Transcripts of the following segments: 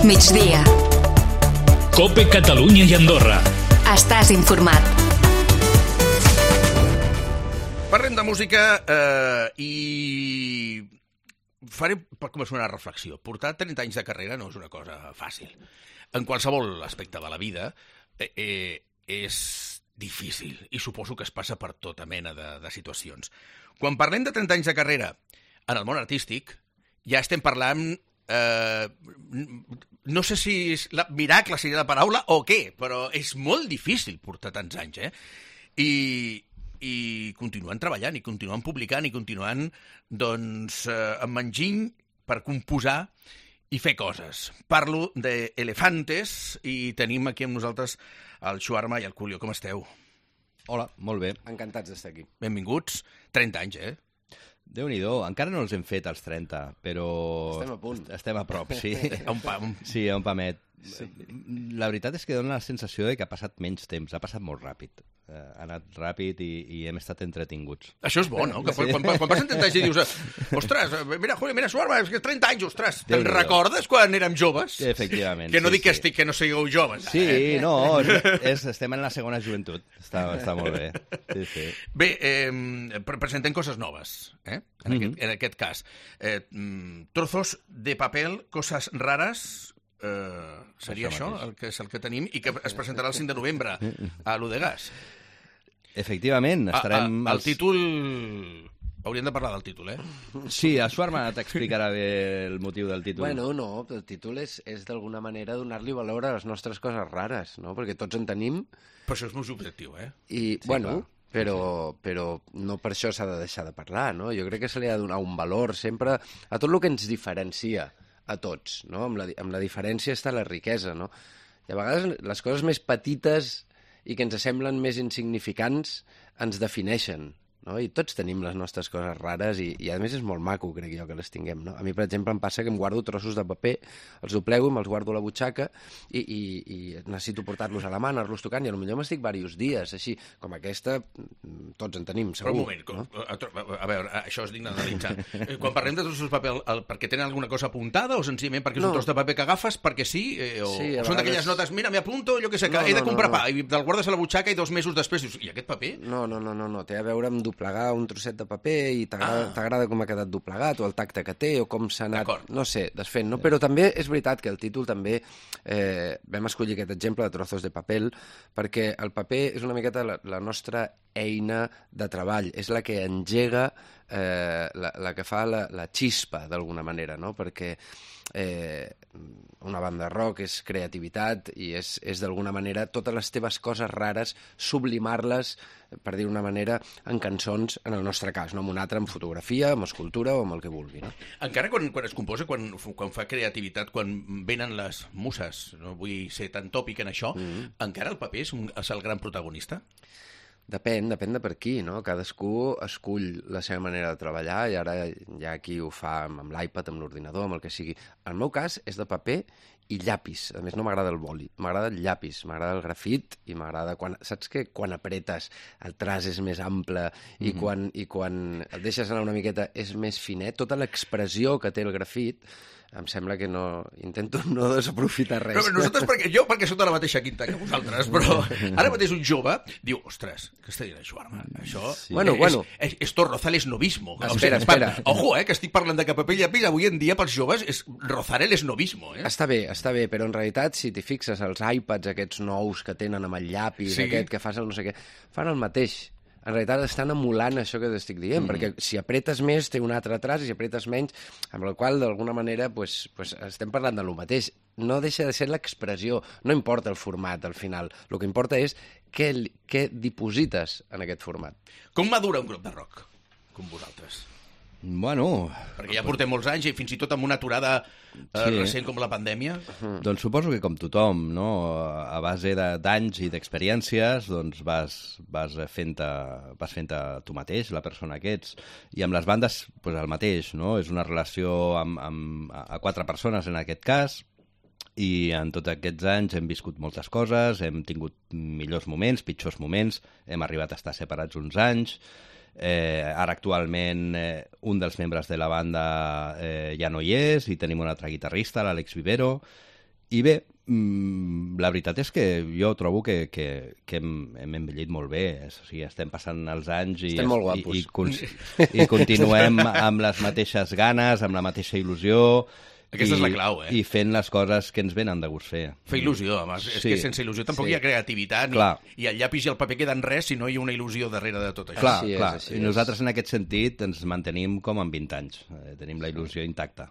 Migdia. COPE Catalunya i Andorra. Estàs informat. Parlem de música i faré per començar una reflexió. Portar 30 anys de carrera no és una cosa fàcil. En qualsevol aspecte de la vida és difícil i suposo que es passa per tota mena de situacions. Quan parlem de 30 anys de carrera en el món artístic, ja estem parlant... no sé si miracle seria la paraula o què, però és molt difícil portar tants anys, I continuen treballant, i continuen publicant, i continuen, amb enginy per composar i fer coses. Parlo d'Elefantes i tenim aquí amb nosaltres el Xuarma i el Culio. Com esteu? Hola, molt bé. Encantats d'estar aquí. Benvinguts. 30 anys, Déu-n'hi-do, encara no els hem fet als 30, però... Estem a punt. Estem a prop, sí. A un pam. Sí, a un pamet. Sí. La veritat és que dona la sensació de que ha passat menys temps, ha passat molt ràpid. Ha anat ràpid i hem estat entretinguts. Això és bo, no? Que quan passen 30 anys i dius ostres, mira, Julio, mira, Suarma, és que 30 anys, ostres, te'n recordes quan érem joves? Efectivament. Que no dic que no sigueu joves. Sí, no, estem en la segona joventut. Està molt bé. Sí. Bé, presentem coses noves, en aquest cas. Trozos de papel, coses rares... seria això el que tenim i que es presentarà el 5 de novembre a l'Udegas. Efectivament, estarem... El títol... Hauríem de parlar del títol, Sí, el Suarma t'explicarà bé el motiu del títol. Bueno, no, el títol és d'alguna manera donar-li valor a les nostres coses rares, no? Perquè tots en tenim. Però això és molt subjectiu, I, sí, bueno... Clar. Però no per això s'ha de deixar de parlar, no? Jo crec que se li ha de donar un valor sempre a tot el que ens diferencia a tots, no? Amb la diferència està la riquesa, no? I a vegades les coses més petites i que ens semblen més insignificants ens defineixen, no? I tots tenim les nostres coses rares i a més és molt maco, crec jo, que les tinguem, no? A mi, per exemple, em passa que em guardo trossos de paper, els doblego i me'ls guardo a la butxaca i necessito portar-los a la mà, anar-los tocant, i potser m'estic diversos dies, així, com aquesta, tots en tenim, segur. Però un moment, no? A veure, això és digne d'analitzar. Quan parlem de trossos de paper, perquè tenen alguna cosa apuntada o senzillament perquè és un tros de paper que agafes perquè sí? O són d'aquelles notes, mira, m'apunto, jo què sé, que he de comprar pa, i te'l guardes a la butxaca i 2 mesos després dius, i aquest paper? No, té a veure amb doblegar un trosset de paper i t'agrada com ha quedat doblegat o el tacte que té o com s'ha anat, no sé, desfent, no? Però també és veritat que el títol també vam escollir aquest exemple de trozos de paper perquè el paper és una miqueta la nostra eina de treball, és la que engega, la que fa la xispa d'alguna manera, no? Perquè una banda de rock és creativitat i és d'alguna manera totes les teves coses rares sublimar-les, per dir una manera, en cançons, en el nostre cas, no? En un altre, en fotografia, en escultura o amb el que vulgui, no? Encara quan es composa, quan fa creativitat, quan venen les muses, no vull ser tan tòpic en això, encara el paper és el gran protagonista? Depèn de per qui, no? Cadascú escull la seva manera de treballar i ara hi ha qui ho fa amb l'iPad, amb l'ordinador, amb el que sigui. El meu cas és de paper i llapis. A més, no m'agrada el boli, m'agrada el llapis, m'agrada el grafit i m'agrada... Saps que quan apretes el traç és més ample i quan el deixes anar una miqueta és més finet, tota l'expressió que té el grafit em sembla que no... Intento no desaprofitar res. Però nosaltres, perquè sóc de la mateixa quinta que vosaltres, però ara mateix un jove diu, ostres, què està dient això, Arma? Això esto roza el esnovismo. Espera. Ojo, que estic parlant de que paper i llapis avui en dia pels joves és rozar el esnovismo. Està bé, però en realitat, si t'hi fixes, els iPads aquests nous que tenen amb el llapis, aquest que fas el no sé què, fan el mateix. En realitat estan emulant això que t'estic dient, perquè si apretes més té un altre traç i si apretes menys, amb el qual d'alguna manera pues, estem parlant de lo mateix. No deixa de ser l'expressió, no importa el format al final, el que importa és què diposites en aquest format. Com madura un grup de rock, com vosaltres? Bueno... Perquè ja portem molts anys i fins i tot amb una aturada recent com la pandèmia. Doncs suposo que com tothom, no? A base d'anys i d'experiències, doncs vas fent-te tu mateix, la persona que ets. I amb les bandes, doncs el mateix, no? És una relació a 4 persones en aquest cas, i en tots aquests anys hem viscut moltes coses, hem tingut millors moments, pitjors moments, hem arribat a estar separats uns anys. Ara actualment un dels membres de la banda ja no hi és i tenim un altre guitarrista, l'Àlex Vivero, I bé, la veritat és que jo trobo que hem envellit molt bé. O sigui, estem passant els anys estem molt guapos. I continuem amb les mateixes ganes, amb la mateixa il·lusió. Aquesta és la clau, I fent les coses que ens venen de gust fer. Fer il·lusió, home. És que sense il·lusió tampoc hi ha creativitat, i el llapis i el paper queden res si no hi ha una il·lusió darrere de tot això. Clar. I nosaltres en aquest sentit ens mantenim com amb 20 anys. Tenim la il·lusió intacta.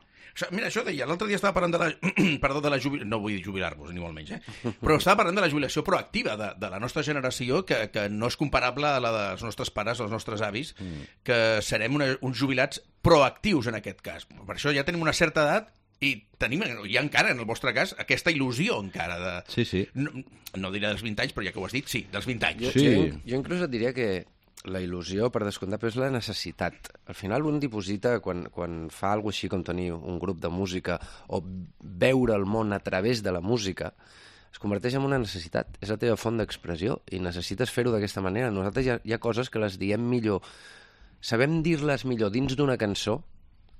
Mira, això deia, l'altre dia estava parlant de la jubilació, no vull dir jubilar-vos, ni molt menys, però estava parlant de la jubilació proactiva de la nostra generació, que no és comparable a la dels nostres pares, als nostres avis, que serem uns jubilats proactius en aquest cas. Per això ja tenim una certa edat i tenim, ja encara, en el vostre cas, aquesta il·lusió encara de... Sí. No diré dels 20 anys, però ja que ho has dit, sí, dels 20 anys. Jo inclús et diria que la il·lusió, per descomptat, però és la necessitat. Al final un diposita, quan fa alguna així com tenir un grup de música o veure el món a través de la música, es converteix en una necessitat. És la teva font d'expressió i necessites fer-ho d'aquesta manera. Nosaltres hi ha coses que les diem millor. Sabem dir-les millor dins d'una cançó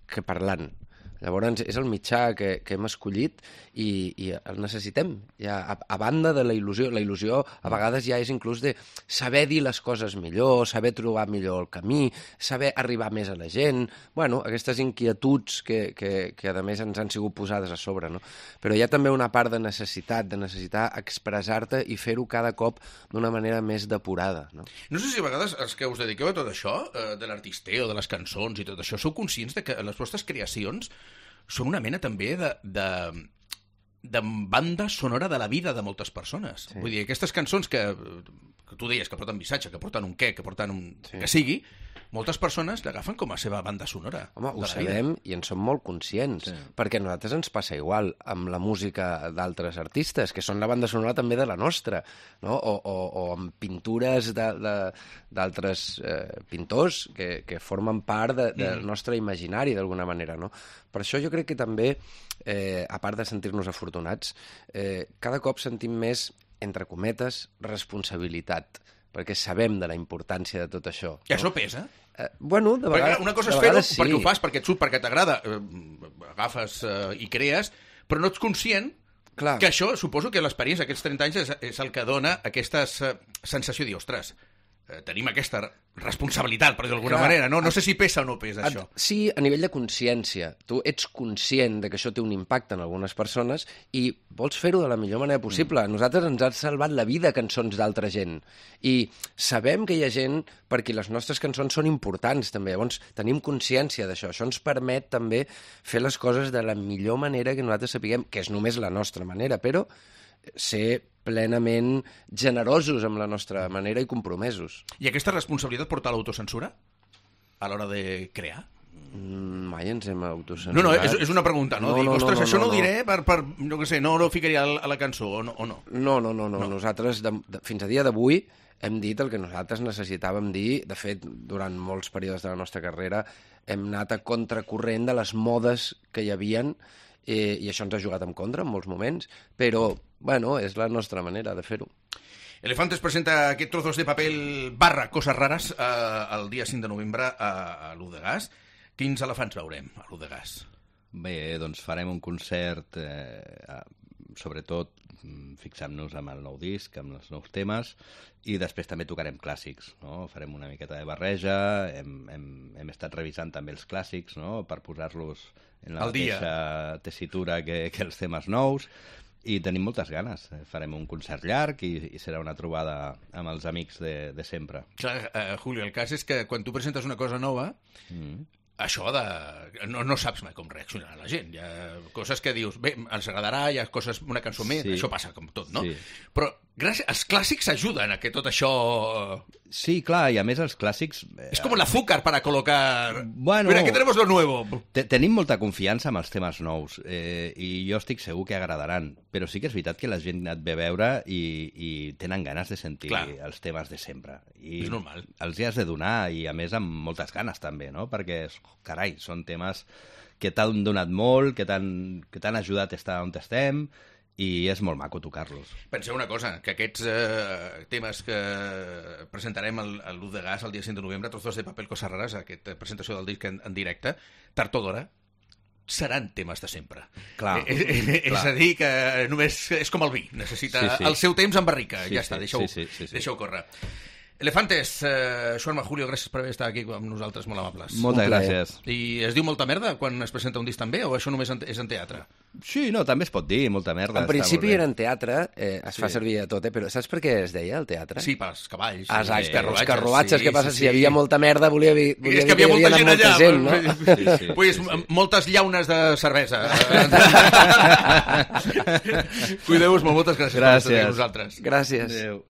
que parlant. Llavors, és el mitjà que hem escollit i el necessitem. Ja, a banda de la il·lusió a vegades ja és inclús de saber dir les coses millor, saber trobar millor el camí, saber arribar més a la gent... Bueno, aquestes inquietuds que a més ens han sigut posades a sobre, no? Però hi ha també una part de necessitat, de necessitar expressar-te i fer-ho cada cop d'una manera més depurada, no? No sé si a vegades els que us dediqueu a tot això, de l'artisteo, de les cançons i tot això, sou conscients de que les vostres creacions són una mena també de banda sonora de la vida de moltes persones. Sí. Vull dir, aquestes cançons que tu deies que porten missatge, que porten un què, que porten un... Sí. Que sigui, moltes persones l'agafen com a seva banda sonora. Home, ho sabem i en som molt conscients, perquè a nosaltres ens passa igual amb la música d'altres artistes, que són la banda sonora també de la nostra, no? O amb pintures d'altres pintors que formen part del nostre imaginari, d'alguna manera, no? Per això jo crec que també, a part de sentir-nos afortunats, cada cop sentim més, entre cometes, responsabilitat, perquè sabem de la importància de tot això. I això pesa? Bueno, de vegades... Una cosa és fer-ho perquè ho fas, perquè et surt, perquè t'agrada, agafes i crees, però no ets conscient que això, suposo que l'experiència d'aquests 30 anys és el que dona aquesta sensació de dir, ostres, tenim aquesta responsabilitat, per dir d'alguna manera, no? No sé si pesa o no pesa això. Sí, a nivell de consciència. Tu ets conscient de que això té un impacte en algunes persones i vols fer-ho de la millor manera possible. Nosaltres ens ha salvat la vida cançons d'altra gent. I sabem que hi ha gent per qui les nostres cançons són importants, també. Llavors, tenim consciència d'això. Això ens permet també fer les coses de la millor manera que nosaltres sapiguem, que és només la nostra manera, però ser plenament generosos amb la nostra manera i compromesos. I aquesta responsabilitat porta a l'autocensura a l'hora de crear? Mai ens hem autocensurat. No, és una pregunta, no? Dic, ostres, això no ho diré per no sé, no ho ficaria a la cançó, o no? No. Nosaltres, fins a dia d'avui, hem dit el que nosaltres necessitàvem dir. De fet, durant molts períodes de la nostra carrera hem anat a contracorrent de les modes que hi havien i això ens ha jugat en contra en molts moments, però, bueno, és la nostra manera de fer-ho. Elefantes presenta aquest trozos de paper / coses rares el dia 5 de novembre a l'U de Gas. Quins elefants veurem a l'U de Gas? Bé, doncs farem un concert, sobretot fixant-nos amb el nou disc, amb els nous temes, i després també tocarem clàssics, no? Farem una miqueta de barreja, hem estat revisant també els clàssics, no? Per posar-los en la mateixa tessitura que els temes nous, i tenim moltes ganes. Farem un concert llarg i serà una trobada amb els amics de sempre. Clar, Julio, el cas és que quan tu presentes una cosa nova, això no saps mai com reaccionarà la gent. Hi ha coses que dius, bé, ens agradarà, hi ha coses, una cançó més, això passa com tot, no? Sí. Però els clàssics ajuden a que tot això... Sí, clar, i a més els clàssics... És com l'azúcar para colocar... Bueno, mira, aquí tenemos lo nuevo. Tenim molta confiança en els temes nous, i jo estic segur que agradaran, però sí que és veritat que la gent ha anat bé a veure i tenen ganes de sentir els temes de sempre. I és normal. Els hi has de donar, i a més amb moltes ganes també, no? Perquè, carai, són temes que t'han donat molt, que t'han ajudat a estar on estem, i és molt maco tocar-los. Penseu una cosa, que aquests temes que presentarem a l'U de Gas el dia 5 de novembre, Trozos de paper, coses rares, aquesta presentació del disc en directe, tard o d'hora, seran temes de sempre. Clar. És a dir, que només és com el vi, necessita el seu temps en barrica. Ja està, deixa-ho córrer. Elefantes, Xuanma, Julio, gràcies per haver estat aquí amb nosaltres, molt amables. Moltes gràcies. I es diu molta merda quan es presenta un disc també, o això només és en teatre? Sí, no, també es pot dir, molta merda. En principi era en teatre, es fa servir a tot, però saps per què es deia el teatre? Sí, pels cavalls. Exacte, els carruatges, què passa? Si hi havia molta merda, volia dir és que hi havia molta gent allà. No? Pues moltes llaunes de cervesa. Cuideu-vos molt, moltes gràcies per estar amb nosaltres. Gràcies. Adéu.